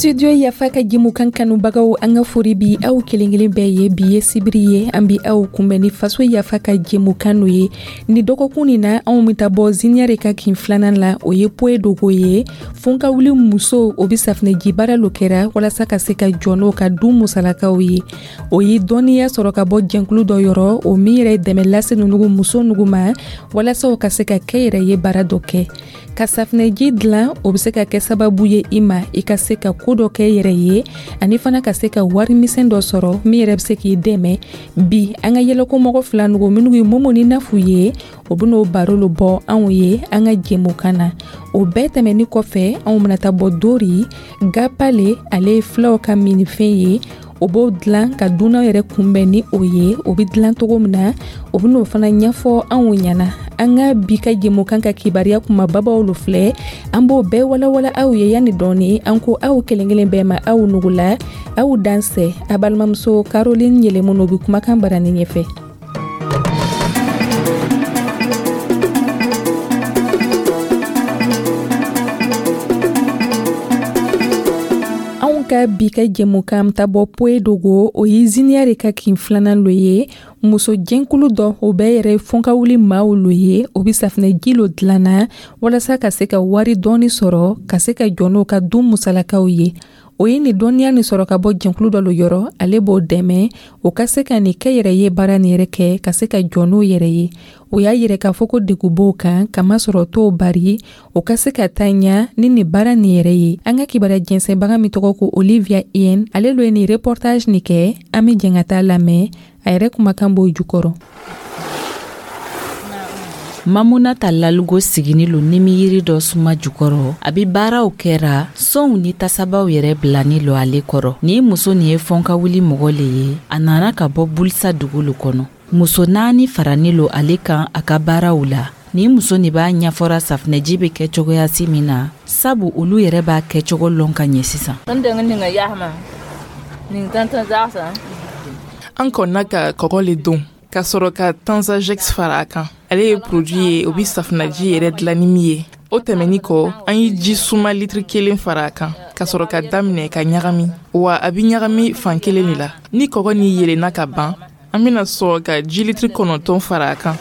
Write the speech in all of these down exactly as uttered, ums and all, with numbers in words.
Studio Yafa ka jɛmukan kanubagaw, an ka fori bi aw kelen kelen bɛɛ ye. Bi ye sibiri ye, an bi aw kunbɛn ni Faso Yafa ka jɛmukan no ye. Ni dɔgɔkun nin na, anw bɛ taa bɔ Ziniyare ka kin filanan la, o ye Poye Dogo ye. Fonkawuli muso o bɛ safinɛji baara lo kɛra walasa ka se ka jɔ n'o ka du musalakaw ye. O ye dɔnniya sɔrɔ ka bɔ jɛnkulu dɔ yɔrɔ, o min yɛrɛ dɛmɛ lase nugu muso nugu ma walasa o ka se ka kɛ yɛrɛ ye baara dɔ kɛ ka safinɛji dilan. O bɛ se ka kɛ sababu ye i ma i ka se ka ko dɔ kɛ yɛrɛ ye, ani fana ka se ka warimisɛn dɔ sɔrɔ min yɛrɛ bɛ se k'i dɛmɛ. Bi, an ka yɛlɛkomɔgɔ fila nugu minnu ye Momo ni Nafu ye, o ben'o baro lo bɔ anw ye an ka jɛmukan na. O bɛɛ tɛmɛni kɔfɛ, anw bena taa bɔ Dori Gapale. Ale ye filaw ka minifɛn ye, o b'o dilan ka dunan yɛrɛ kunbɛn ni o ye. O bɛ dilan cogo min na, o bɛ n'o fana ɲɛfɔ anw ɲɛna. An ka bi ka jɛmukan ka kibaruya kumababaw lo filɛ, an b'o bɛɛ walawala aw ye. Yanni dɔɔni, an ko aw kelen kelen bɛɛ ma, aw nugula, aw dansɛ. A balimamuso Caroline Yɛlɛmu bɛ kumakan barani ɲɛfɛ. Ka bi ka jɛmukan ta bɔ Poye Dogo, o ye Ziniyare ka kin filanan lo ye. Muso jɛnkulu dɔ, o bɛɛ yɛrɛ fɔnkawuli maaw lo ye, o bɛ safinɛji lo dilanna walasa ka se ka wari dɔɔni sɔrɔ ka se ka jɔ n'o ka du musalakaw ye. O ye nin dɔnniya nin sɔrɔ ka bɔ jɛnkulu dɔ lo yɔrɔ, ale b'o dɛmɛ o ka se ka nin kɛ yɛrɛ ye baara nin yɛrɛ kɛ ka se ka jɔ n'o yɛrɛ ye. O y'a yɛrɛ k'a fɔ ko degun b'o kan, kamasɔrɔ t'o bari o ka se ka taa ɲa ni nin baara nin yɛrɛ ye. An ka kibaruya jɛnsɛnbaga min tɔgɔ ko Olivia Ien, ale lo ye nin reportage nin kɛ. An bɛ jɛn ka taa lamɛn, a yɛrɛ kumakan b'o jukɔrɔ. Mamunata Lalugo sigini lo nimiyiri dɔ suma jukɔrɔ. A be baaraw kɛra sonw ni tasabaw yɛrɛ bilani lo ale kɔrɔ. Nin muso nin ye fɔnkawuli mɔgɔ le ye. A nana ka bɔ Bulisa dugu lo kɔnɔ. Muso naani farani lo ale kan a ka baaraw la. Nin muso nin b'a ɲɛfɔra safinɛji be kɛ cogoyasi min na, sabu olu yɛrɛ b'a kɛcogo lɔn ka ɲɛ sisan. An kɔnna ka kɔgɔ le don ka sɔrɔ ka Tanzajex fara a kan. Ale ye produit ye, o bi safinɛji yɛrɛ dilan ni min ye. O tɛmɛni kɔ, an ye ji suma litiri kelen fara a kan ka sɔrɔ ka daminɛ ka ɲagami. Wa a bi ɲagami fan kelen de la. Ni kɔgɔ ni yelenna ka ban, an bena sɔrɔ ka ji litiri kɔnɔntɔn fara a kan.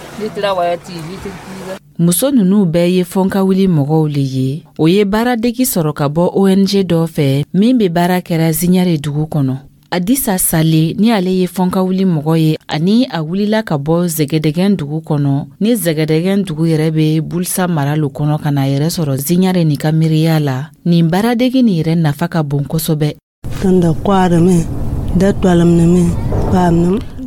Muso nunu bɛɛ ye fɔnkawuli mɔgɔw le ye. O ye baaradegi sɔrɔ ka bɔ O N G dɔ fɛ min be baara kɛra Ziɲare dugu kɔnɔ. Adisa Sale ni ale ye fɔnkawuli mɔgɔ ye, ani a wulila ka bɔ Zɛgɛdɛgɛn dugu kɔnɔ, ni Zɛgɛdɛgɛn dugu yɛrɛ be Bulisa mara lo kɔnɔ, ka na yɛrɛ sɔrɔ Ziɲare nin ka miiriya la. Nin baaradegi nin yɛrɛ nafa ka bon kosɛbɛ.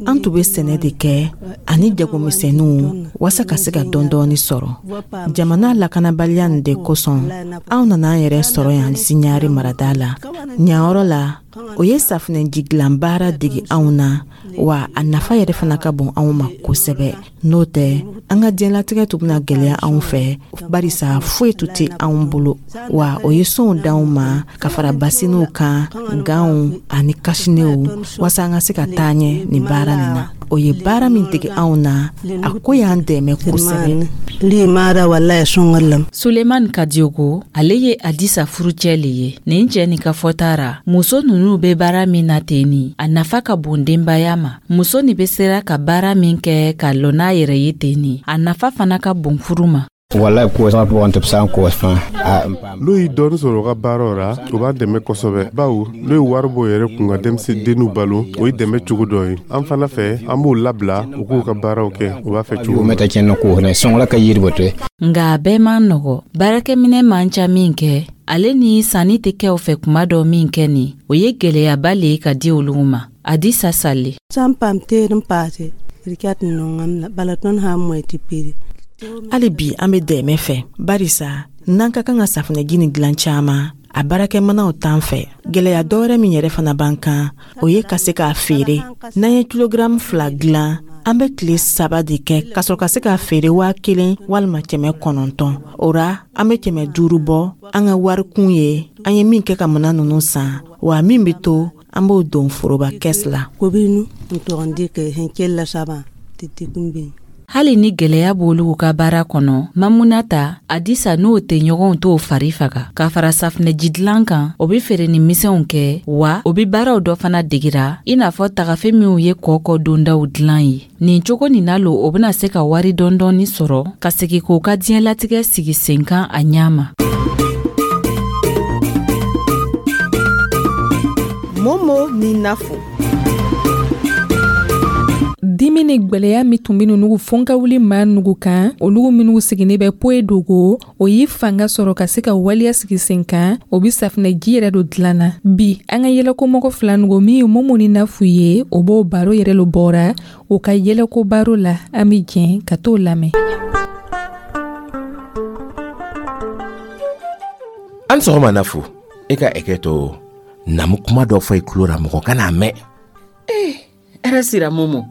An tun bɛ sɛnɛ de kɛ ani jagomisɛnninw waasa ka se ka dɔɔni sɔrɔ. Jamana lakanabaliya nin de kosɔn, anw nana an yɛrɛ sɔrɔ yan Ziɲare marada la. Ɲanyɔrɔ la, o ye safinɛji dilan baara degi anw na, wa a nafa yɛrɛ fana ka bon anw ma kosɛbɛ. N'o tɛ, an ka diɲɛlatigɛ tun bɛna gwɛlɛya anw fɛ, barisa foyi tun tɛ anw bolo. Wa o ye sonw d'anw ma ka fara basiniw kan, ganw ani kasinew, waasa an ka se ka taa ɲɛ nin baara nin na. O ye baara min dege anw na, a ko y'an dɛmɛ kosɛbɛ. Suleiman Kadiogo, ale ye Adisa furucɛ le ye. Nin cɛ nin ka fɔta ra, muso nunu be baara min na ten ni, a nafa ka bon denbaya ma. Muso nin be sera ka baara min kɛ ka lɔ n'a yɛrɛ ye ten ni, a nafa fana ka bon furu ma. N'o ye dɔɔni sɔrɔ u ka baaraw ra, o b'an dɛmɛ kosɛbɛ, bawo n'o ye wari bɔ yɛrɛ kun ka denmisɛnninw balo, o ye dɛmɛ cogo dɔ ye. An fana fɛ, an b'o labila u k'u ka baaraw kɛ u b'a fɛ cogo min. Nga a bɛɛ man nɔgɔ. Baarakɛminɛ man ca min kɛ, ale ni sanni tɛ kɛ o fɛ kuma dɔ min kɛ nin, o ye gwɛlɛyaba le ye ka di olu ma. Adisa Sale. Hali bi an bɛ dɛmɛ fɛ, barisa n'an ka kan ka safinɛji nin dilan caman, a baarakɛminɛnw t'an fɛ. Gwɛlɛya dɔwɛrɛ min yɛrɛ fana b'an kan, o ye ka se k'a feere. N'an ye kilogaramu fila dilan, an bɛ tile saba de kɛ ka sɔrɔ ka se k'a feere waa kelen walima kɛmɛ kɔnɔntɔn. O ra, an bɛ kɛmɛ duuru bɔ an ka warikun ye an ye min kɛ ka minan ninnu san, wa min bɛ to, an b'o don foroba kɛsi la. Hali ni gwɛlɛya b'olu ka baara kɔnɔ, Mamunata Adisa n'o tɛɲɔgɔnw t'o fari faga. Ka fara safunɛji dilan kan, o be feere ni misɛnw kɛ, wa o be baaraw dɔ fana degira, i n'a fɔ tagafe minw ye kɔkɔ dondaw dilan ye. Nin cogo nin na lo, o bena se ka wari dɔɔni sɔrɔ ka segi k'o ka diɲɛlatigɛ sigi sen kan a ɲa ma. Momo ni Nafo. Dimi ni gwɛlɛya min tun be nugu fɔnkawuli maa nugu kan, olugu minnu sigini bɛ Poe Dogo, o ye fanga sɔrɔ ka se ka waleya sigi sen kan, o be safunɛji yɛrɛ do dilanna. Bi an ka yɛlɛkomɔgɔ fila nugu min ye Momo ni Nafu ye, o b'o baro yɛrɛ lo bɔra o ka yɛlɛko baro la. An be jɛn ka t'o lamɛn. An sɔgɔma Nafu, e ka ɛkɛ to namu kuma dɔ fɔ i tulo ra, mɔgɔ kana mɛn. Ee, hɛrɛ sira Momo,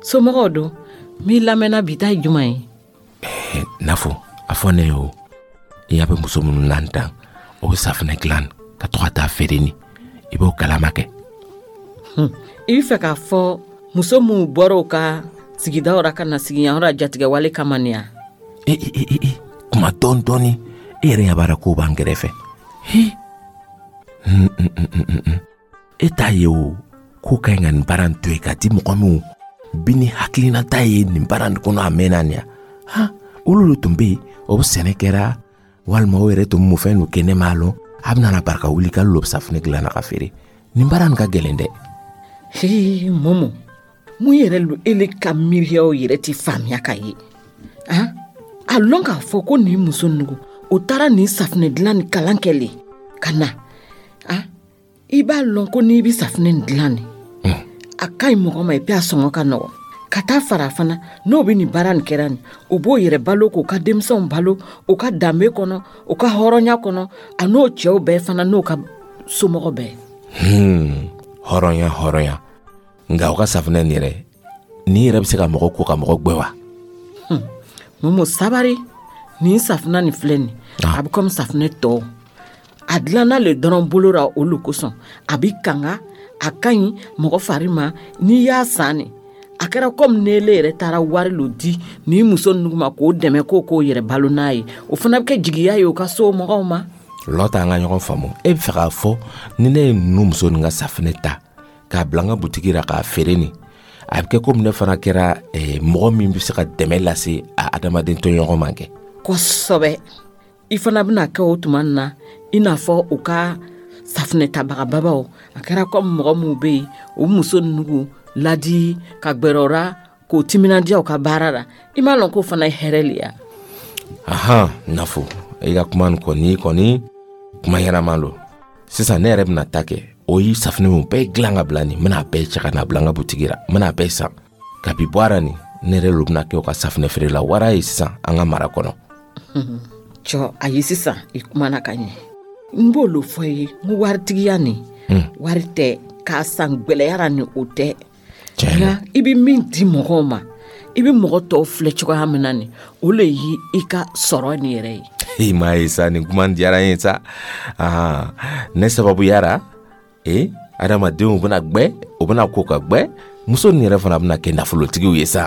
somɔgɔw don? Min lamɛnna bi ta ye jumɛn ye? Eh, Nafo, a fɔ ne ye o, i y'a bɛ muso minnu nan tan, o bɛ safunɛ dilan ka to ka taa feere ni, i b'o kalama kɛ. I bɛ fɛ k'a fɔ muso minnu bɔra u ka sigidaw ra ka na sigi yan yɔrɔ jatigɛwale kama nin ya? E e e e, kuma dɔɔni dɔɔni, e yɛrɛ ɲɛ b'a la k'o b'an kɛrɛfɛ. He, e t'a ye o, k'o ka ɲi ka nin baara in to yen ka di mɔgɔ minw bi ni hakilinata ye nin baara nin kɔnɔ a mɛnna nin ya. Han, olu de tun bɛ yen, o bɛ sɛnɛ kɛra walima o yɛrɛ tun bɛ mun fɛn dɔ kɛ, ne m'a lɔn. A bɛna na barika wuli k'ale lo bɛ safunɛ dilan na ka feere. Nin baara nin ka gɛlɛn dɛ. Hee Momo, mun yɛrɛ lo ele ka miiriyaw yɛrɛ ti faamuya ka ye? Han, a lɔn k'a fɔ ko nin muso nugu o taara nin safunɛ dilan ni kalan kɛ le ka na. Han, i b'a lɔn ko n'i bɛ safunɛ nin dilan nin, a ka ɲi mɔgɔ ma, epi a sɔngɔ ka nɔgɔn. Ka taa fara fana, n'o bɛ nin baara nin kɛra nin, o b'o yɛrɛ balo k'o ka denmisɛnw balo o ka danbe kɔnɔ, o ka hɔrɔnya kɔnɔ, a n'o cɛw bɛɛ fana n'o ka somɔgɔ bɛɛ. Hmm, hɔrɔnya hɔrɔnya, nka o ka safunɛ nin yɛrɛ, nin yɛrɛ bɛ se ka mɔgɔ ko ka mɔgɔ gbɛ wa? Hmm. Momo sabari, nin safunɛ nin filɛ nin, a bɛ komi safunɛ tɔw. A dilanna le dɔrɔn bolo ra olu kosɔn, a bɛ kanga, a ka ɲi mɔgɔ fari ma n'i y'a san nin. A kɛra komi n'ele yɛrɛ taara wari lo di nin muso ninnu ma k'o dɛmɛ k'o k'o yɛrɛ balo n'a ye, o fana bɛ kɛ jigiya ye o ka so mɔgɔw ma. Lɔta, an ka ɲɔgɔn faamu. E bɛ fɛ k'a fɔ ni ne ye ninnu muso nin ka safunɛ ta k'a bila n ka butigi la k'a feere nin, a bɛ kɛ komi ne fana kɛra eh, mɔgɔ min bɛ se ka dɛmɛ lase a adamaden tɔɲɔgɔn ma kɛ. Kosɛbɛ, i fana bɛna kɛ o tuma na i n'a fɔ u ka safunɛ tabagababaw. A kɛra komi mɔgɔ minnu bɛ yen, o muso ninnu ladi ka gbɛrɛ o ra k'o timinandiya u ka baara la, i m'a lɔn k'o fana ye hɛrɛ le ya. Ahan, Nafo, i ka kuma nin kɔni kɔni kuma ɲɛnama lo. Sisan ne yɛrɛ bɛna ta kɛ, o ye safunɛ min bɛɛ dilan ka bila nin, n bɛna a bɛɛ cɛ ka na bila n ka butigi la, n bɛna a bɛɛ san. Kabi bɔ a ra nin, ne yɛrɛ lo bɛna kɛ o ka safunɛ feerela wara ye sisan an ka mara kɔnɔ. Cɔ, ayi, sisan i kumana ka ɲɛ. N b'o lo fɔ i ye, n ko waritigiya nin, wari tɛ k'a san gwɛlɛya nin, o tɛ. Nka i bɛ min di mɔgɔw ma, i bɛ mɔgɔ tɔw filɛ cogoya min na nin, o le ye i ka sɔrɔ nin yɛrɛ ye. I m'a ye sa, nin kuma diyara n ye sa. Ahan, ne sababuyara ee adamadenw bɛna gbɛ, o bɛna ko ka gbɛ, muso nin yɛrɛ fana bɛna kɛ nafolotigiw ye sa.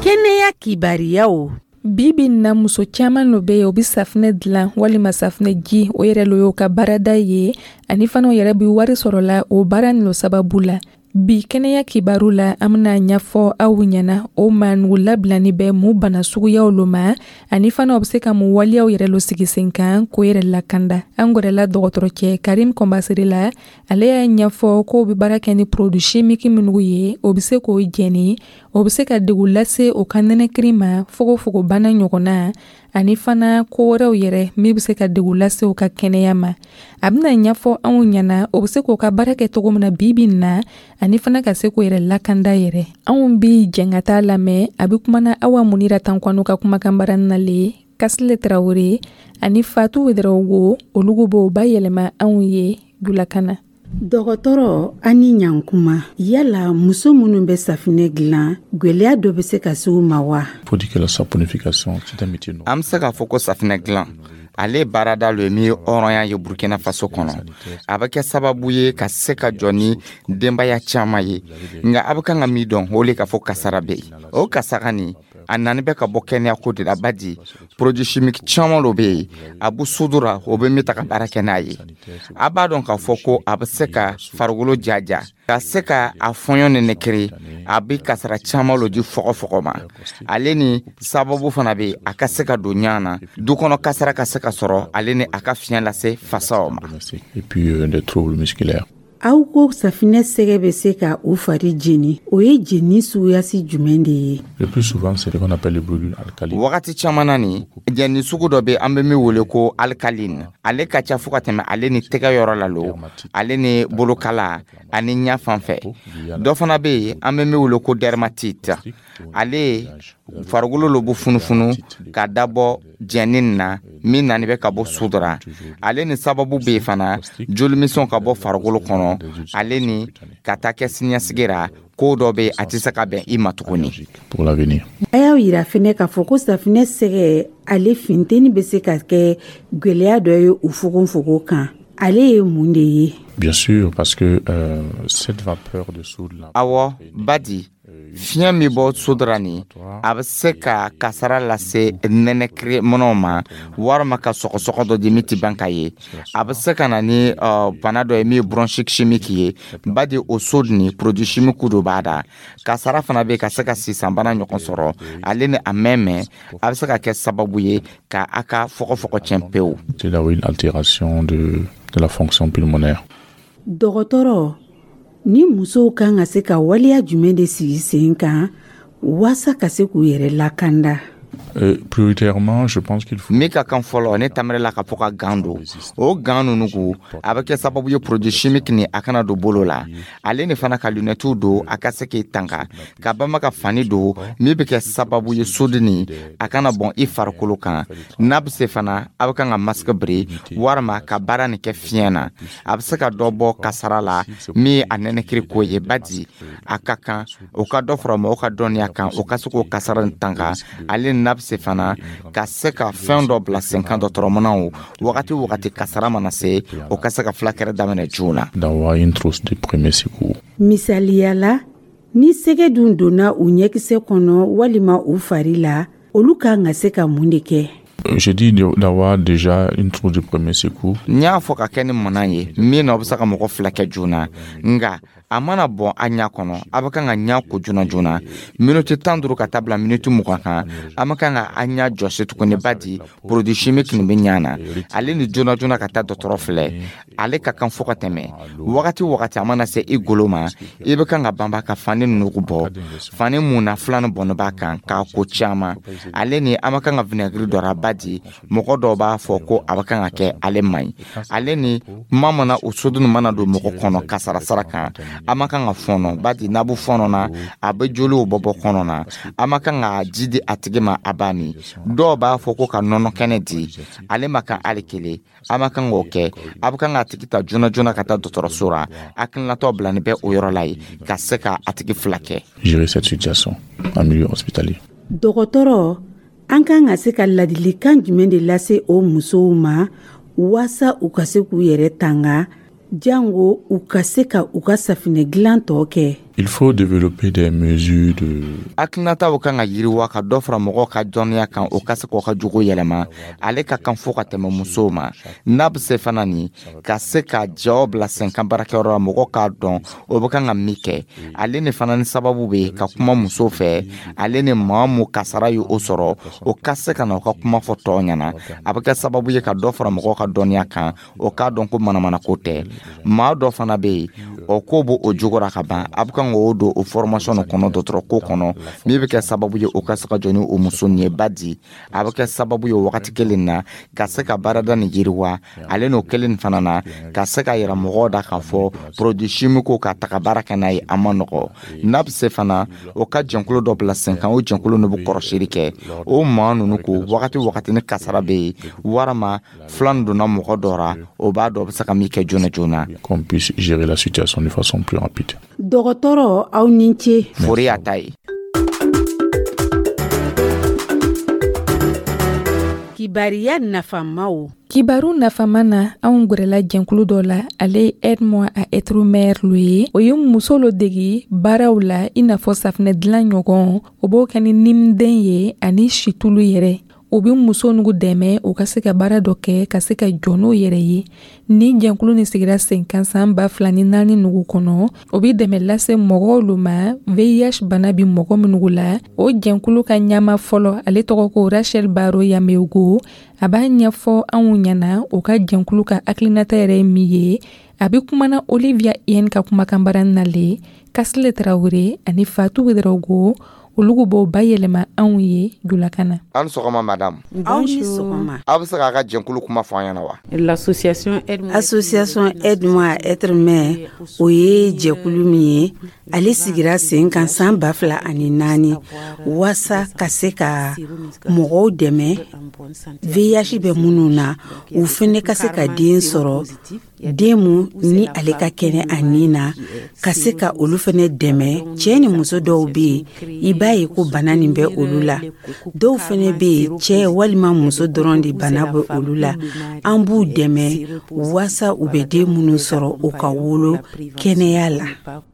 Kɛnɛya kibariyaw. Bi bi na muso caman lo bɛ yen, o bɛ safunɛ dilan walima safunɛ ji, o yɛrɛ lo y'o ka baarada ye, ani fana o yɛrɛ bɛ wari sɔrɔ la o baara nin lo sababu la. Bi kɛnɛya kibaru la, an bɛna ɲɛfɔ aw ɲɛna o maa nugu labilani bɛ mun bana suguyaw lo ma, ani fana o bɛ se ka mun waleyaw yɛrɛ lo sigi sen kan k'o yɛrɛ lakanda. An gɛrɛla dɔgɔtɔrɔcɛ Karim Kɔnbasere la, ale y'a ɲɛfɔ k'o bɛ baara kɛ ni produit chimique minnu ye, o bɛ se k'o jɛni, o bɛ se ka degun lase o ka nɛnɛkiri ma, fogofogobana ɲɔgɔnna, ani fana ko wɛrɛw yɛrɛ min bɛ se ka degun lase u ka kɛnɛya ma. A bɛna ɲɛfɔ anw ɲɛna o bɛ se k'o ka baara kɛ cogo min na bi bi in na, ani fana ka se k'o yɛrɛ lakanda yɛrɛ. Anw bi jɛn ka taa lamɛn. A bɛ kumana Awa Munira Tankwano ka kumakan baara na le, Kasile Tarawele ani Fatu Wederawogo, olu b'o bayɛlɛma anw ye julakan na. Dɔgɔtɔrɔ, ani ɲankuma, yala muso minnu bɛ safunɛ dilan, gwɛlɛya dɔ bɛ se ka se u ma wa? An bɛ se k'a fɔ ko safunɛ dilan Ale baarada lo ye min ye hɔrɔnya ye Burkina Faso kɔnɔ. A bɛ kɛ sababu ye ka se ka jɔ ni denbaya caman ye. Nka a bɛ kan ka min dɔn, o le k'a fɔ kasara bɛ yen. O kasara nin, a nani bɛ ka bɔ kɛnɛyako de la, badi produit chimique caman lo bɛ yen, a bɛ soude ra, o bɛ min ta ka baara kɛ n'a ye. A b'a dɔn k'a fɔ ko a bɛ se ka farikolo jaja, ka se ka a fɔɲɔ nɛnɛkiri. A bɛ kasara caman lo di fɔgɔfɔgɔ ma. Ale ni sababu fana bɛ a ka se ka don ɲan na, du kɔnɔ kasara ka se ka sɔrɔ, ale ni a ka fiɲɛ lase fasaw ma. Et puis euh, des troubles musculaires. Aw ko safinɛ sɛgɛ bɛ se ka u fari jeni, o ye jeni suguyasi jumɛn de ye? Le plus souvent, c'est ce qu'on appelle les brûlures alcalines. Wagati caman na nin, jɛni sugu dɔ bɛ, an bɛ min wele ko alcaline. Ale ka ca fo ka tɛmɛ ale ni tɛgɛ yɔrɔ la lo, ale ni bolokala ani ɲɛ fan fɛ. Dɔ fana bɛ yen, an bɛ min wele ko dermatite. Ale farikolo lo bɛ funufunu ka dabɔ jɛni na min nani bɛ ka bɔ soude ra. Ale ni sababu bɛ yen fana, jolimisɛnw ka bɔ farikolo kɔnɔ, ale ni ka taa kɛ siniɲɛsigi ra, ko dɔ bɛ yen, a tɛ se ka bɛn i ma tuguni. Pour l'avenir. A y'aw yira fɛnɛ k'a fɔ ko safinɛ sɛgɛ, ale funteni bɛ se ka kɛ gwɛlɛya dɔ ye u fogonfogon kan. Ale ye mun de ye? Bien sûr, parce que euh, cette vapeur de soude là. Awɔ, badi fiɲɛ min bɔ soude ra nin, a bɛ se ka kasara lase nɛnɛkiri minɛnw ma, walima ka sɔgɔsɔgɔ dɔ di min tɛ ban ka ye. A bɛ se ka na ni uh, bana dɔ ye min ye bronchite chimique ye, badi o soude ni produit chimique dɔ b'a da. Kasara fana bɛ ka se ka sisanbana ɲɔgɔn sɔrɔ. Ale ni a mɛn mɛn, a bɛ se ka kɛ sababu ye ka a ka fɔgɔfɔgɔ tiɲɛ pewu. C'est d'avoir une altération de, de la fonction pulmonaire. Dɔgɔtɔrɔ, ni musow kan ka se ka waleya jumɛn de sigi sen kan waasa ka se k'u yɛrɛ lakanda? Euh, prioritairement, je pense qu'il faut. Min ka kan fɔlɔ, ne tamirila ka fɔ ka gants don. O gants nunu ko, a bɛ kɛ sababu ye produit chimique ni a kana don bolo la. Ale ni fana ka lunettew don, a ka se k'i tanga ka bama ka fani don min bɛ kɛ sababu ye soude ni a kana bɔn i farikolo kan. N'a bɛ se fana, a bɛ kan ka masque biri walima ka baara nin kɛ fiɲɛ na. A bɛ se ka dɔ bɔ kasara la min ye a nɛnɛkiri ko ye, badi a ka kan o ka dɔ fara mɔgɔw ka dɔnniya kan, o ka se k'o kasara nin tanga. Ale ni n'a bɛ se fana ka se ka fɛn dɔ bila sen kan, dɔgɔtɔrɔmanaw, wagati o wagati kasara mana se, o ka se ka fulakɛrɛ daminɛ joona. D'avoir une trousse de premier secours. Misaliya la, ni sɛgɛ dun donna u ɲɛkisɛ kɔnɔ walima u fari la, olu kan ka se ka mun de kɛ? J'ai dit d'avoir déjà une trousse de premier secours. N y'a fɔ ka kɛ ni mana ye min na, o bɛ se ka mɔgɔ fila kɛ joona. Nka a mana bɔn a ɲa kɔnɔ, a bɛ kan ka ɲa ko joona joona, miniti tan duuru ka taa bila miniti mugan kan. A ma kan ka a ɲa jɔsi tuguni, badi produit chimique nin bɛ ɲa na. Ale ni joona joona ka taa dɔgɔtɔrɔ filɛ, ale ka kan fo ka tɛmɛ. Wagati o wagati a mana se i golo ma, i bɛ kan ka banba ka fani nugu bɔ, fani mun na filanin bɔnni b'a kan k'a ko caman. Ale ni an ma kan ka vinaigre dɔ ra, badi mɔgɔ dɔw b'a fɔ ko a bɛ kan ka kɛ, ale man ɲi. Ale ni kuma mana o soude mana don mɔgɔ kɔnɔ kasara sara kan, a ma kan ka fɔnɔ, badi n'a bɛ fɔnɔ na, a bɛ joliw bɔ bɔ kɔnɔ na. A ma kan ka ji di a tigi ma, a b'a min. Dɔw b'a fɔ ko ka nɔnɔ kɛnɛ di ale ma kan, hali kelen a ma kan k'o kɛ. A bɛ kan k'a tigi ta joona joona ka taa dɔgɔtɔrɔso la. Hakilinatɔ bilani bɛ o yɔrɔ la yen ka se ka a tigi fila kɛ. Gérer cette situation en milieu hospitalier. Dɔgɔtɔrɔ, an kan ka se ka ladilikan jumɛn de lase o musow ma waasa u ka se k'u yɛrɛ tanga, jango u ka se ka u ka safinɛ dilan tɔ kɛ? Il faut développer des mesures de Hakilinataw kan ka yiriwa ka dɔ fara mɔgɔw ka dɔnniya kan, o ka se k'o ka jogo yɛlɛma. Ale ka kan fo ka tɛmɛ musow ma. N'a bɛ se fana nin ka se ka jaw bila senkan baarakɛyɔrɔ la, mɔgɔw k'a dɔn o bɛ kan ka min kɛ. Ale ni fana ni sababu bɛ ka kuma musow fɛ, ale ni maa mun kasara ye o sɔrɔ, o ka se ka na o ka kuma fɔ tɔw ɲɛna. A bɛ kɛ sababu ye ka dɔ fara mɔgɔw ka dɔnniya kan, o k'a dɔn ko manamanako tɛ. Maa dɔ fana bɛ yen, o ko b'o o jogo ra ka ban, a bɛ kan k'o don o formation kɔnɔ, dɔgɔtɔrɔ ko kɔnɔ, min bɛ kɛ sababu ye o ka se ka jɔ ni o muso nin ye, badi a bɛ kɛ sababu ye o wagati kelen na ka se ka baarada nin yiriwa. Ale n'o kelen nin fana na ka se ka yira mɔgɔw da k'a fɔ produit chimique ka taga baara kɛ n'a ye, a ma nɔgɔ. N'a bɛ se fana, o ka jɛnkulu dɔ bila sen kan, o jɛnkulu nin bɛ kɔrɔsili kɛ o maa ninnu ko wagati wagati ni kasara bɛ yen, walima filan donna mɔgɔ dɔ ra, o b'a dɔn o bɛ se ka min kɛ joona joona. Qu'on puisse gérer la situation de façon plus rapide. Dɔgɔtɔrɔ, aw ni ce. Fori y'a ta ye. Kibaru. Kibariya nafamaw. Kibaru nafama na, anw gwɛrɛla jɛnkulu dɔ la, ale ye Aide-moi à être mère lo ye. O ye muso lo degi baaraw la, i n'a fɔ safinɛ dilan ɲɔgɔn. O b'o kɛ ni nimden ye ani situlu yɛrɛ. O be muso nugu dɛmɛ u ka se ka baara dɔ kɛ, ka se ka jɔ n'o yɛrɛ ye. Ni jɛnkulu ni sigira sen kan san ba fila ni naani nugu kɔnɔ, o be dɛmɛ lase mɔgɔw lo ma, V I H bana bi mɔgɔ minugu la. O jɛnkulu ka ɲama fɔlɔ, ale tɔgɔ ko Rachel Baro Yameogo, a b'a ɲɛfɔ anw ɲɛna o ka jɛnkulu ka hakilinata yɛrɛ ye min ye. A be kumana Olivia Yen ka kumakan baara nale Kasile Tarawure ani Fatu Wedarago, olu b'o bayɛlɛma anw ye julakan na. An sɔgɔma, madame. Aw ni sɔgɔma. Aw bɛ se k'a ka jɛnkulu kuma fɔ an ɲɛna wa? L'association Association Aide-moi à être mère, o ye jɛkulu min ye, ale sigira sen kan san ba fila ani naani, waasa ka se ka mɔgɔw dɛmɛ, V I H bɛ minnu na, u fɛnɛ ka se ka den sɔrɔ, den mun ni ale ka kɛnɛ a nin na, ka se ka olu fɛnɛ dɛmɛ. Cɛɛ ni muso dɔw be yen, i b'a ye ko bana nin bɛ olu la. Dɔw fɛnɛ be yen, cɛɛ walima muso dɔrɔn de bana bɛ olu la. An b'u dɛmɛ waasa u bɛ den minnu sɔrɔ, u ka wolo kɛnɛya la.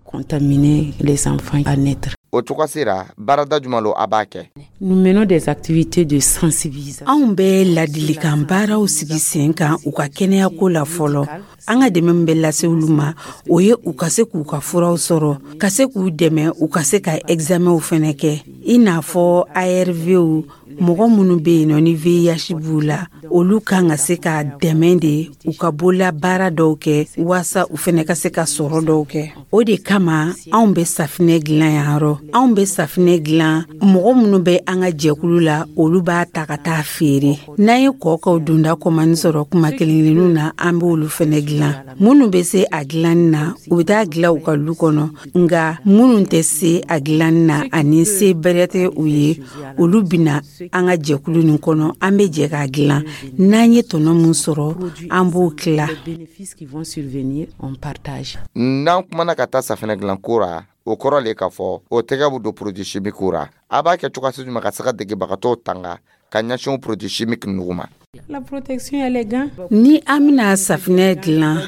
Contaminer les enfants à naître. O cogo sera, baarada jumɛn lo a b'a kɛ? Nous menons des activités de sensibilisation. Anw bɛ ladilikan baaraw sigi sen kan u ka kɛnɛyako la fɔlɔ. An ka dɛmɛ min bɛ lase olu ma, o ye u ka se k'u ka furaw sɔrɔ, ka se k'u dɛmɛ u ka se ka examenw fɛnɛ kɛ, i n'a fɔ A R Vw. Mɔgɔ minnu bɛ yen nɔ ni V I H b'u la, olu kan ka se ka dɛmɛ de u ka bolola baara dɔw kɛ, waasa u fɛnɛ ka se ka sɔrɔ dɔw kɛ. O de kama anw bɛ safinɛ dilan yan yɔrɔ. Anw bɛ safinɛ dilan, mɔgɔ minnu bɛ an ka jɛkulu la, olu b'a ta ka taa feere. N'an ye kɔkaw donda kɔmani sɔrɔ kuma kelen kelenninw na, an b'olu fɛnɛ dilan. Minnu bɛ se a dilanni na, u bɛ taa dilan u ka lu kɔnɔ, nka minnu tɛ se a dilanni na ani se bɛrɛ tɛ u ye, olu bɛna an ka jɛkulu nin kɔnɔ. An bɛ jɛ k'a dilan. N'an ye tɔnɔ min sɔrɔ, an b'o tila. Les bénéfices qui vont survenir, on partage. N'an kumana ka taa safinɛ dilanko ra, o kɔrɔ le k'a fɔ o tɛgɛ bɛ don produit chimique ra. A b'a kɛ cogoya si jumɛn ka se ka degebagatɔw tanga ka ɲɛsin produit chimique nugu ma? La protection, elle est gants. Ni an bɛna safinɛ dilan,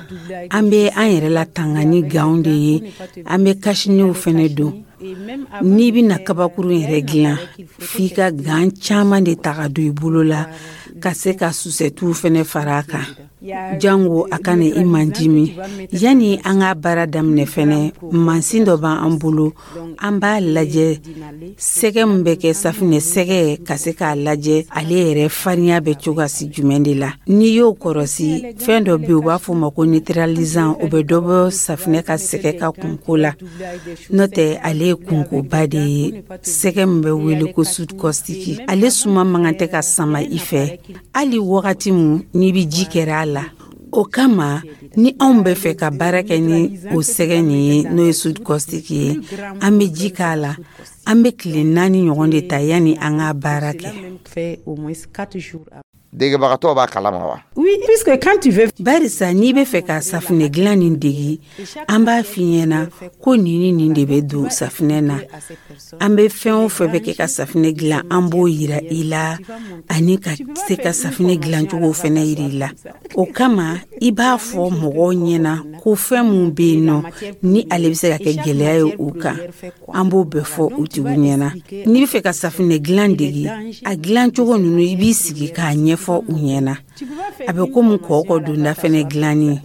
an bɛ an yɛrɛ latanga ni gantw de ye. An bɛ cache-nez fɛnɛ don. N'i bɛna kabakuru yɛrɛ dilan, f'i ka gants caman de ta ka don i bolo la, ka se ka susɛtiw fɛnɛ fara a kan, jango a kana i mandimi. Yanni an ka baara daminɛ fɛnɛ, mansin dɔ b'an bolo, an b'a lajɛ sɛgɛ min bɛ kɛ safinɛ sɛgɛ, ka se k'a lajɛ ale yɛrɛ farinya bɛ cogoya si jumɛn de la. N'i y'o kɔrɔsi, fɛn dɔ bɛ yen, u b'a fɔ o ma ko neutralisant, o bɛ dɔ bɔ safinɛ ka sɛgɛ ka kunko la. N'o tɛ, ale ye kunkoba de ye. Sɛgɛ min bɛ wele ko soude caustique, ale suma man kan tɛ ka sama i fɛ hali wagati min n'i bɛ ji kɛra a la. O kama, ni anw bɛ fɛ ka baara kɛ ni o sɛgɛ nin ye, n'o ye soude caustique ye, an bɛ ji k'a la, an bɛ tile naani ɲɔgɔn de ta yanni an ka baara kɛ. Fait au moins quatre jours. Degebagatɔw b'a kalama wa? Oui, puisque quand tu veux Barisa n'i bɛ fɛ ka safinɛ dilan nin degi, an b'a f'i ɲɛna ko nin ni nin de bɛ don safinɛ na. An bɛ fɛn o fɛn bɛ kɛ ka safinɛ dilan, an b'o yira i la, ani ka se ka safinɛ dilancogo fɛnɛ yira i la. O kama, i b'a fɔ mɔgɔw ɲɛna ko fɛn mun bɛ yen nɔ ni ale bɛ se ka kɛ gɛlɛya ye u kan, an b'o bɛɛ fɔ u tigiw ɲɛna. N'i bɛ fɛ ka safinɛ dilan degi, a dilancogo ninnu, i b'i sigi k'a ɲɛfɔ u ɲɛna. A bɛ komi kɔkɔ donda fɛnɛ dilanni,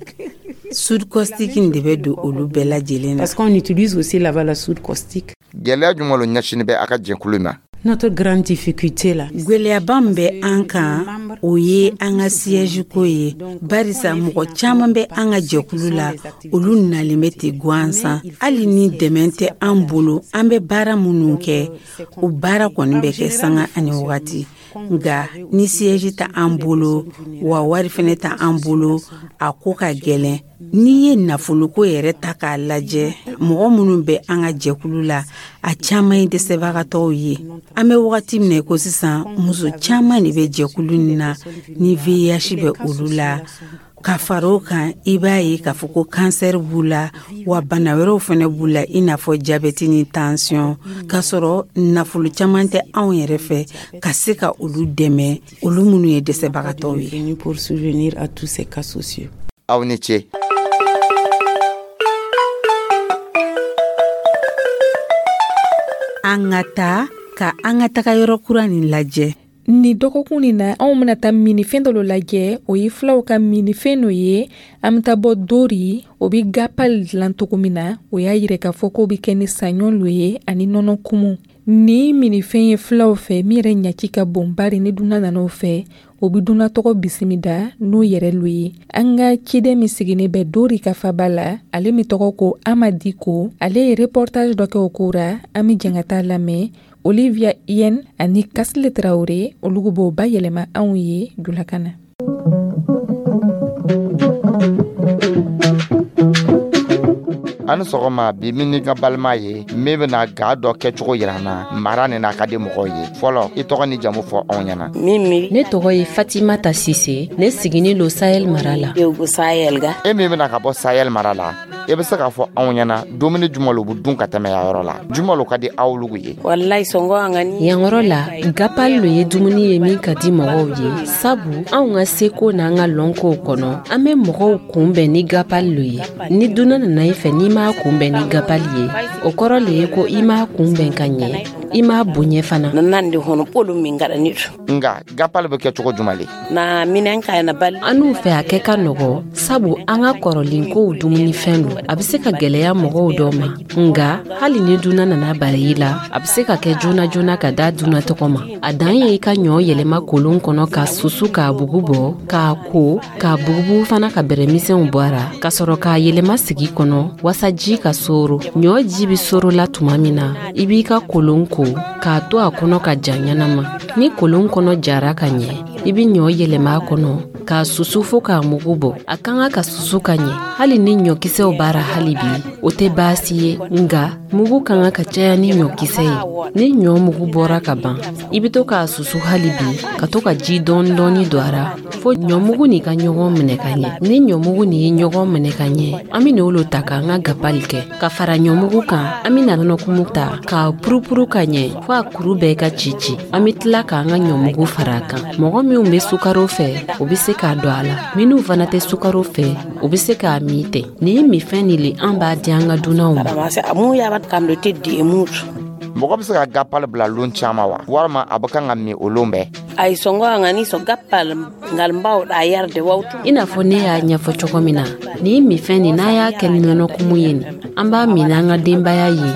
soude caustique in de bɛ don olu bɛɛ lajɛlen na. Parce qu'on utilise aussi là-bas la soude caustique. Gɛlɛya jumɛn lo ɲɛsinin bɛ a ka jɛkulu ma? Notre grande difficulté là, Gwɛlɛyaba min bɛ an kan, o ye an ka siège ko ye, barisa mɔgɔ caman bɛ an ka jɛkulu la, olu nalen bɛ ten gansan. Hali ni dɛmɛ tɛ an bolo, an bɛ baara minnu kɛ, o baara kɔni bɛ kɛ sanga ani wagati. Nka ni siège tɛ an bolo, wa wari fɛnɛ tɛ an bolo, a ko ka gɛlɛn. N'i ye nafoloko yɛrɛ ta k'a lajɛ, mɔgɔ minnu bɛ an ka jɛkulu la, a caman ye dɛsɛbagatɔw ye. An bɛ wagati min na i ko sisan, muso caman de bɛ jɛkulu nin na ni V I H bɛ olu la. Ka fara o kan, i b'a ye k'a fɔ ko kansɛri b'u la, wa bana wɛrɛw fɛnɛ b'u la, i n'a fɔ jabɛti ni tansiyɔn, k'a sɔrɔ nafolo caman tɛ anw yɛrɛ fɛ ka se ka olu dɛmɛ, olu minnu ye dɛsɛbagatɔw ye. Pour subvenir à tous ces cas sociaux. Aw ni ce. An ka taa ka an ka taga yɔrɔ kura nin lajɛ. Ni dɔgɔkun nin na, anw bena taa minifɛn dɔ lajɛ, o ye filaw ka minifɛn no ye. An be taa bɔ Dori, o be gapal dilan cogo min na, o y'a yirɛ k'a fɔ k'o be kɛ ni saɲɔ lo ye ani nɔnɔ kumu. Ni minifɛn ye filaw fɛ min yɛrɛ ɲaci ka bon, bari ni dunan nan'o fɛ, o be dunan tɔgɔ bisimida n'o yɛrɛ lo ye. An ka ciden min siginin bɛ Dori ka faba la, ale min tɔgɔ ko Amadi Ko, ale ye reportage dɔ kɛ o ko ra. An be jɛn ka taa lamɛn. Olivia Yen ani Kasile Traoré, olu b'o bayɛlɛma anw ye julakan na. An sɔgɔma, bi min ni ka balima ye min bɛna ga dɔ kɛcogo yira an na, mara nin n'a ka di mɔgɔw ye. Fɔlɔ, i tɔgɔ ni jamu fɔ anw ɲɛna. Ne tɔgɔ ye Fatimata Sise, ne siginin lo Sahel mara la. E min bɛna ka bɔ Sahel mara la, e bɛ se k'a fɔ anw ɲɛna dumuni jumɛn lo bɛ dun ka tɛmɛ yan yɔrɔ la, jumɛn lo ka di aw lugu ye? Yan yɔrɔ la, gapal lo ye dumuni ye min ka di mɔgɔw ye, sabu anw ka seko n'an ka lɔnkow kɔnɔ, an bɛ mɔgɔw kunbɛn ni gapal lo ye. Ni dunan nana i fɛ, n'i m'a kunbɛn ni gapal ye, o kɔrɔ le ye ko i m'a kunbɛn ka ɲɛ, i m'a bonya fana. Nka gapal bɛ kɛ cogo jumɛn le? An n'u fɛ a kɛ ka nɔgɔ, sabu an ka kɔrɔlenkow dumunifɛn lo. A bɛ se ka gɛlɛya mɔgɔw dɔ ma, nka hali ni dunan nana bari i la, a bɛ se ka kɛ joona joona ka da dunan tɔgɔ ma. A dan ye i ka ɲɔ yɛlɛma kolon kɔnɔ ka susu k'a bugu bɔ, k'a ko, k'a bugubugu fana ka bɛrɛmisɛnw bɔ a ra, ka sɔrɔ k'a yɛlɛma sigi kɔnɔ wasa ji ka soro. Ɲɔ ji bɛ soro la tuma min na, i b'i ka kolon ko k'a to a kɔnɔ ka ja ɲɛnama. Ni kolon kɔnɔ jara ka ɲɛ, i bɛ ɲɔ yɛlɛma a kɔnɔ k'a susu fo k'a mugu bɔ. A ka kan ka susu ka ɲɛ, hali ni ɲɔkisɛw b'a ra hali bi, o tɛ baasi ye, nka mugu ka kan ka caya ni ɲɔkisɛ ye. Ni ɲɔ mugu bɔra ka ban, i bɛ to k'a susu hali bi, ka to ka ji dɔɔni dɔɔni don a ra fo ɲɔmugu nin ka ɲɔgɔn minɛ ka ɲɛ. Ni ɲɔmugu nin ye ɲɔgɔn minɛ ka ɲɛ, an bɛ n'olu ta k'an ka gapali kɛ. Ka fara ɲɔmugu kan, an bɛ nɔnɔkumu ta k'a purupuru ka ɲɛ fo a kuru bɛɛ ka ci ci. An bɛ tila k'an ka ɲɔmugu fara a kan. Mɔgɔ minnu bɛ sukaro fɛ, o bɛ se k'a don a la. Minnu fana tɛ sukaro fɛ, o bɛ se k'a min ten. Nin minfɛn nin le an b'a di an ka dunanw ma. Mɔgɔ bɛ se ka gapal bila lon caman wa, walima a bɛ kan ka min o lon bɛɛ? I n'a fɔ ne y'a ɲɛfɔ cogo min na, nin minfɛn nin, n'a y'a kɛ ni nɔnɔkumu ye nin, an b'a min n'an ka denbaya ye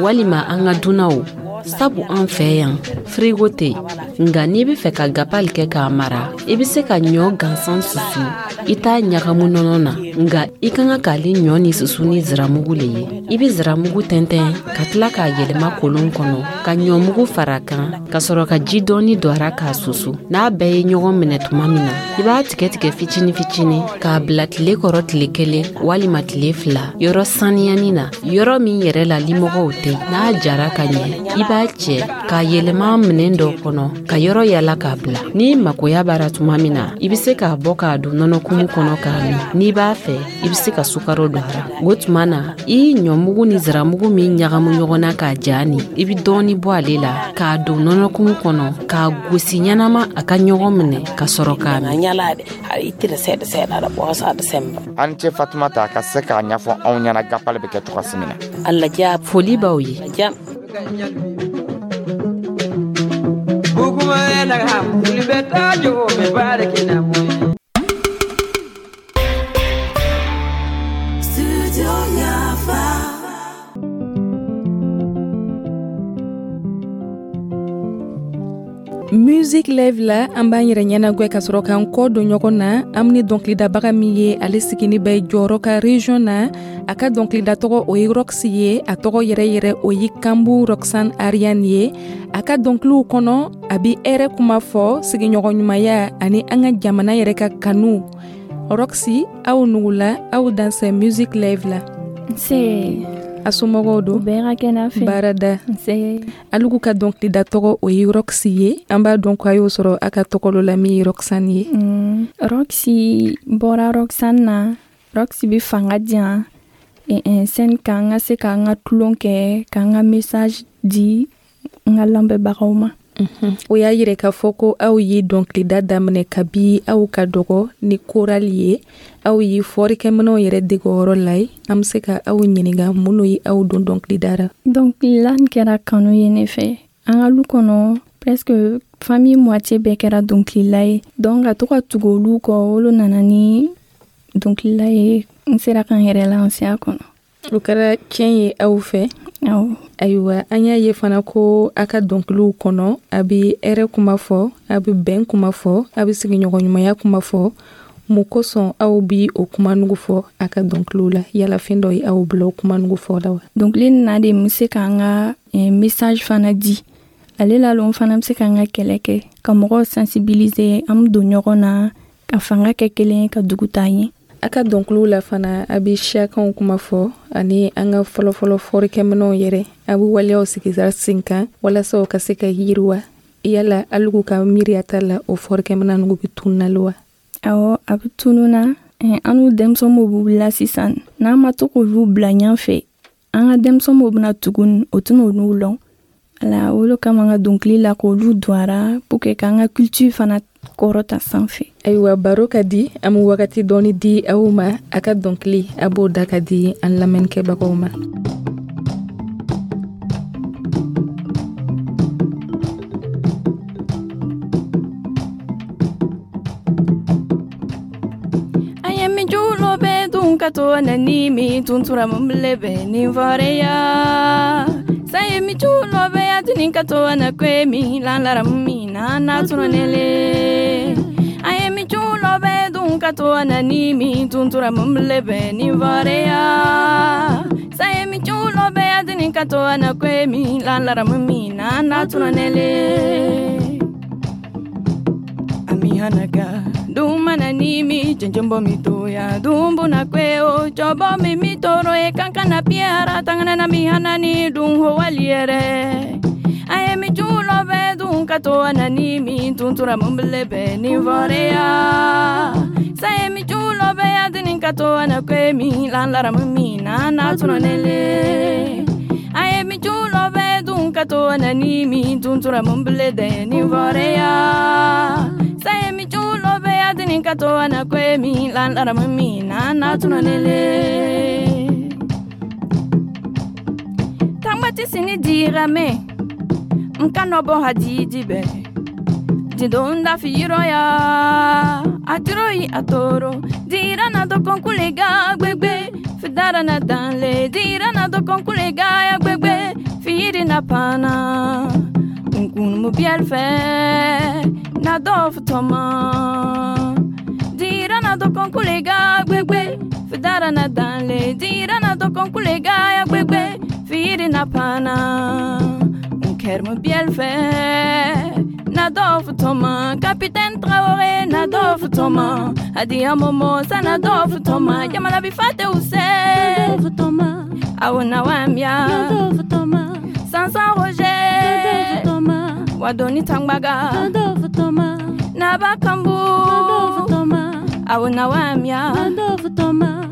walima an ka dunanw, sabu an fɛ yan firigo tɛ. Nka n'i bɛ fɛ ka gapali kɛ k'a mara, i bɛ se ka ɲɔ gansan susu, i t'a ɲagamu nɔnɔ na, nka i ka kan k'ale ɲɔ ni susu ni ziramugu le ye. I bɛ ziramugu tɛntɛn ka tila k'a yɛlɛma kolon kɔnɔ, ka ɲɔmugu fara a kan, ka sɔrɔ ka ji dɔɔni don a ra k'a susu. N'a bɛɛ ye ɲɔgɔn minɛ tuma min na, i b'a tigɛ tigɛ fitini fitini k'a bila tile kɔrɔ tile kelen walima tile fila, yɔrɔ saniyani na, yɔrɔ min yɛrɛ la limɔgɔw tɛ. N'a jara ka ɲɛ, i b'a cɛ k'a yɛlɛma minɛn dɔ kɔnɔ ka yɔrɔ yala k'a bila. N'i makoya b'ara tuma min na, i bɛ se k'a bɔ k'a don nɔnɔkumu kɔnɔ k'a min. N'i b'a fɛ, i bɛ se ka sukaro don a ra. O tuma na, i ye ɲɔmugu ni ziramugu min ɲagamu ɲɔgɔn na k'a ja nin, i bɛ dɔɔni bɔ ale la k'a don nɔnɔkumu kɔnɔ k'a gosi ɲɛnama a ka ɲɔgɔn minɛ ka sɔrɔ k'a min. An cɛ Fatumata ka se k'a ɲɛfɔ anw ɲɛna gapali bɛ kɛ cogoya min na. Foli b'aw ye. Music Live la, an b'an yɛrɛ ɲɛnagwɛ ka sɔrɔ k'an kɔ don ɲɔgɔn na. An ni dɔnkilidabaga min ye, ale sigini bɛ jɔyɔrɔ ka region na. A ka dɔnkilida tɔgɔ o ye Roxy ye, a tɔgɔ yɛrɛ yɛrɛ o ye Kambu Roxane Ariane ye. A ka dɔnkiliw kɔnɔ, a bi hɛrɛ kuma fɔ, sigiɲɔgɔn ɲumanya ani an ka jamana yɛrɛ ka kanu. Roxy, aw nugula, aw dansɛ Music Live la. Nse. A somɔgɔw don? Bɛɛ ka kɛnɛ fɛ. Baarada. Nse. Alugu ka dɔnkilida tɔgɔ o ye Roxy ye. An b'a dɔn ko a y'o sɔrɔ a ka tɔgɔ dɔ la min ye Roxane ye. Mm, Roxy bɔra Roxane na. Roxy bɛ fanga di yan scène kan n ka se ka n ka tulon kɛ, ka n ka message di n ka lamɛnbagaw ma. O y'a yira k'a fɔ ko aw ye dɔnkilida daminɛ kabi aw ka dɔgɔ ni chorale ye. Aw ye fɔlikɛminɛw yɛrɛ dege o yɔrɔ la ye. An bɛ se ka aw ɲininka minnu ye aw don dɔnkilida la. Dɔnkilida kɛra kanu ye ne fɛ. An ka lu kɔnɔ presque famille moitié bɛɛ kɛra dɔnkilila ye. Donc ka to ka tugu olu kɔ, olu nana ni dɔnkilila ye. N sera ka n yɛrɛ lancer a kɔnɔ. O kɛra tiɲɛ ye aw fɛ. Awɔ. Ayiwa, an y'a ye fana ko a ka dɔnkiliw kɔnɔ, a bɛ hɛrɛ kuma fɔ, a bɛ bɛn kuma fɔ, a bɛ sigiɲɔgɔnɲumanya kuma fɔ. Mun kosɔn aw bi o kumanugu fɔ a ka dɔnkiliw la? Yala fɛn dɔ ye aw bila o kumanugu fɔ la wa? Dɔnkili nin na de n bɛ se ka n ka message fana di. Ale la n fana bɛ se ka n ka kɛlɛ kɛ, ka mɔgɔw sensibiliser, an bɛ don ɲɔgɔn na, ka fanga kɛ kelen ye, ka dugu taa ɲɛ. A ka dɔnkiliw la fana, a bɛ siyakanw kuma fɔ ani an ka fɔlɔfɔlɔ fɔlikɛminɛw yɛrɛ. A bɛ waleyaw sigi sen kan walasa o ka se ka yiriwa. Yala alugu ka miiriya t'a la o fɔlikɛminɛn ninnu bɛ tunun na wa? Awɔ, a bɛ tunun na. An n'u denmisɛnninw b'u wulila sisan. N'an ma to k'olu bila ɲɛfɛ, an ka denmisɛnninw bɛna tugun, o tɛna olu lɔn. Ala, o de kama an ka dɔnkili la k'olu don a ra pour que k'an ka culture fana kɔrɔta sanfɛ. Ayiwa, baro ka di. An bɛ wagati dɔɔni di aw ma. A ka dɔnkili, a b'o da ka di an lamɛnnikɛbagaw ma. An ye min julo bɛ dun ka to na ni min tuntura mun bile bɛ nin fɔreya. Saye mi chulo be atini kato na kwe mi la la mi na na tunonele. Aye mi chulo be dun kato na ni mi tuntura mumble be ni vareya. Saye mi chulo be atini kato na kwe mi la la mi na na tunonele. Ami hanaka dumana ni mi chenchombo mi toya dumbu na kweo chobo mi mi toro e kankana piara tangana na mi hanani dun ho waliere. Aye mi chulo be dun kato na ni mi tuntura mumble be ni vorea. Saye mi chulo be adini kato na kwe mi la la mi na na tunonele. Aye mi chulo be dun kato na ni mi tuntura mumble de ni vorea. Saye mi chulo be adini kato na kwe mi la la mi na na tunonele. Tangba tisini dirame nkano bo hadiji be didonda firoya atiroi atoro dirana do konkulega gbegbe fidara na danle dirana do konkulega ya gbegbe firi na pana nkun mu bielfe na dof toma dirana do konkulega gbegbe fidara na danle dirana do konkulega ya gbegbe firi na pana Kerme bielfe na dof toma Capitaine Traoré na dof toma Adia Momo sa na dof toma Jamala bi fate use na dof toma Awona wamia na dof toma Sansan Roger na dof toma Wadoni Tangbaga na dof toma Na Bakambu na dof toma Awona wamia na dof toma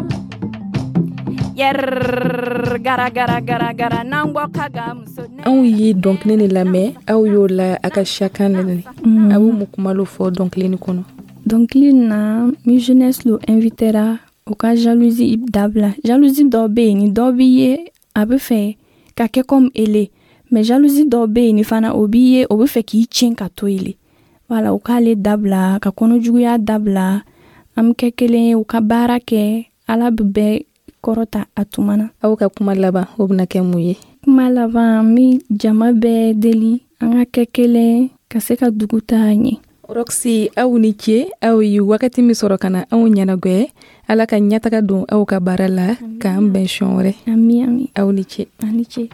Yer gara gara gara gara nangbo kaga muso. Anw ye dɔnkili ni lamɛn, aw y'o la a ka siyakan nɛnɛ. A b'o mun kumalo fɔ dɔnkili nin kɔnɔ? Dɔnkili na mi jeunesse lo invitera o ka jalousie dabila. Jalousie dɔ bɛ yen, ni dɔ b'i ye a bɛ fɛ ka kɛ comme ele, mais jalousie dɔ bɛ yen ni fana o b'i ye o bɛ fɛ k'i tiɲɛ ka to ele. Voilà, o k'ale dabila, ka kɔnɔjuguya dabila, an bɛ kɛ kelen ye, u ka baara kɛ, Ala bɛ bɛɛ kɔrɔta a tuma na. Aw ka kuma laban o bɛna kɛ mun ye? Kuma laban, n bɛ jama bɛɛ deli an ka kɛ kelen ka se ka dugu taa ɲɛ. Roxy, aw ni ce, aw ye wagati min sɔrɔ ka na anw ɲɛnagwɛ. Ala ka ɲɛtaga don aw ka baara la, k'an bɛn siɲɛ wɛrɛ. Ami, ami. Aw ni ce. Aw ni ce.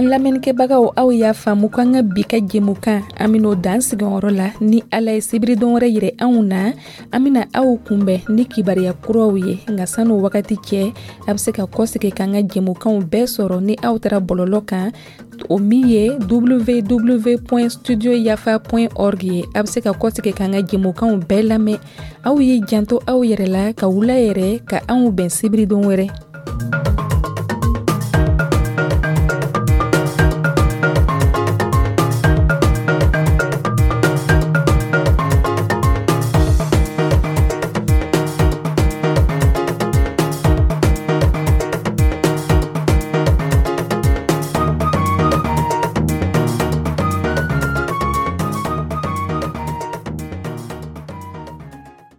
An lamɛnnikɛbagaw, aw y'a faamu ko an ka bi ka jɛmukan, an ben'o dan sigiyɔrɔ la. Ni Ala ye sibiridon wɛrɛ yɛrɛ anw na, an bena aw kunbɛn ni kibariya kuraw ye. Nka san'o wagati cɛ, a be se ka kɔsegi k'an ka jɛmukanw bɛɛ sɔrɔ ni aw taara bɔlɔlɔ kan, o min ye W W W studio yafa org ye. A be se ka kɔsegi k'an ka jɛmukanw bɛɛ lamɛn. Aw ye janto aw yɛrɛ la, ka wula yɛrɛ, ka anw bɛn sibiridon wɛrɛ.